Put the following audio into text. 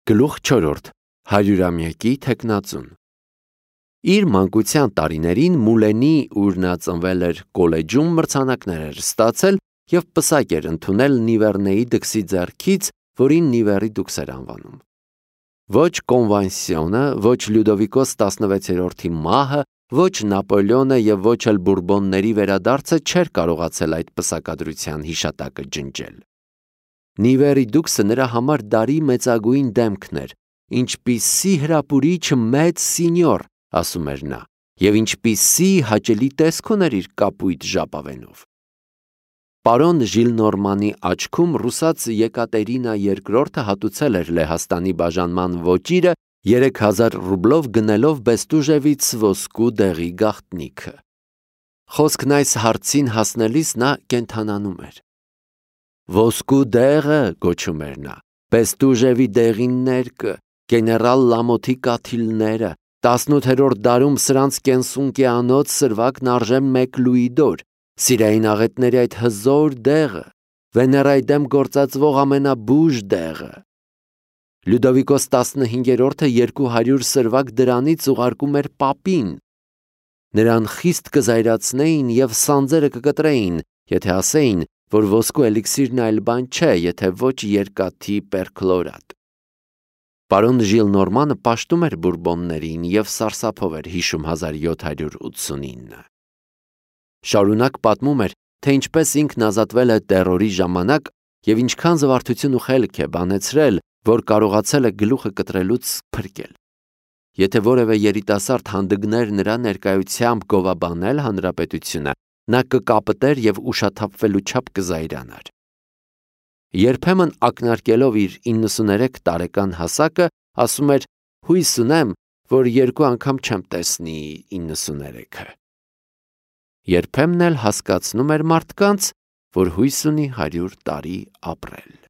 Գլուխ 4. Հարյուրամյակի թեկնածուն։ Իր մանկության տարիներին Մուլենի, ուր նա ծնվել էր, կոլեջում մրցանակներ էր ստացել և պսակ էր ընդունել Նիվեռնեի դքսի ձեռքից, որին Նիվեռի դուքս էր անվանում։ Ոչ կոնվանսիոնը, ոչ Լյուդովիկոս 16-րդի մահը, ոչ Նապոլեոնը և ոչ էլ Բուրբոնների վերադարձը չէր կարողացել այդ պսակադրության հիշատակը ջնջել։ Նիվեռի դուքսը նրա համար դարի մեծագույն դեմքն էր, ինչպիսի հրապուրիչ մեծ սինյոր, ասում էր նա, և ինչպիսի հաճելի տեսք ուներ իր կապույտ ժապավենով։ Պարոն Ժիլնորմանի աչքում ռուսաց Եկատերինա II հատուցել էր Լեհաստանի բաժանման ոճիրը 3000 ռուբլով գնելով Բեստուժևից ոսկու դեղի գաղտնիքը։ Խոսքն այս հարցին հասնելիս նա կենդանանում էր։ Ոսկու դեղը, գոչում էր նա, Բեստուժևի դեղին ներկը, գեներալ Լամոթի կաթիլները, 18-րդ դարում սրանց կենսունկի անոց սրվակն արժե 1 լուիդոր, Սիրային աղետների այդ հզոր դեղը, Վեներայի դեմ գործածվող ամենաբուժ դեղը։ Լյուդովիկոս 15-րդը 200 սրվակ դրանից ուղարկում էր պապին։ Նրան խիստ կզայրացնեին և սանձերը կկտրեին, եթե ասեին, որ ոսկու էլիքսիրն այլ բան չէ, եթե ոչ երկաթի պերքլորատ։ Պարոն Ժիլնորմանը պաշտում էր Բուրբոններին և սարսափով էր հիշում 1789։ Շարունակ պատմում էր, թե ինչպես ինքն ազատվել է տերորի ժամանակ և ինչքան զվարթություն ու խելք է բանեցրել, որ կարողացել է գլուխը կտրելուց փրկել։ Եթե որևէ երիտասարդ հանդգներ նրա ներկայությամբ գովաբանել հանրապետությունը, նա կկապտեր և ուշաթափվելու չափ կզայրանար։ Երբեմն ակնարկելով իր 93 տարեկան հասակը, ասում էր. «Հույս ունեմ, որ 2 անգամ չեմ տեսնի 93-ը»։ Երբեմն էլ հասկացնում էր մարդկանց, որ հույս ունի 100 տարի ապրել։